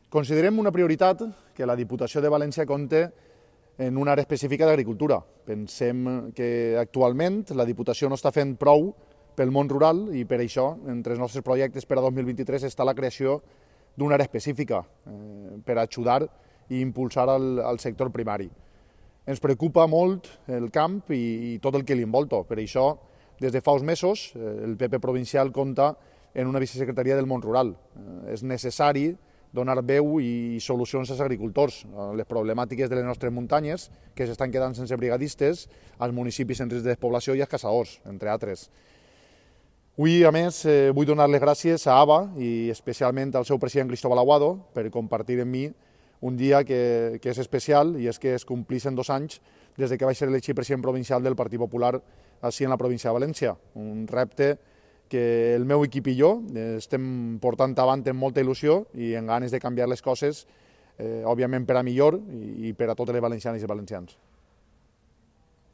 Considerem una prioritat que la Diputació de València compte en una àrea específica d'agricultura. Pensem que actualment la Diputació no està fent prou pel món rural i per això, entre els nostres projectes per a 2023, està la creació d'una àrea específica per ajudar i impulsar el sector primari. Ens preocupa molt el camp i tot el que li envolta. Per això, des de fa uns mesos, el PP provincial compta en una vicesecretaria del món rural. És necessari donar veu i solucions als agricultors, a les problemàtiques de les nostres muntanyes, que s'estan quedant sense brigadistes, als municipis en risc de despoblació i als caçadors, entre altres. Avui, a més, vull donar les gràcies a ABA i especialment al seu president Cristóbal Aguado per compartir amb mi un dia que és especial, i és que es complixen 2 anys des que vaig ser elegit president provincial del Partit Popular així en la província de València. Un repte que el meu equip i jo estem portant avant amb molta il·lusió i amb ganes de canviar les coses, òbviament per a millor i per a totes les valencianes i valencians.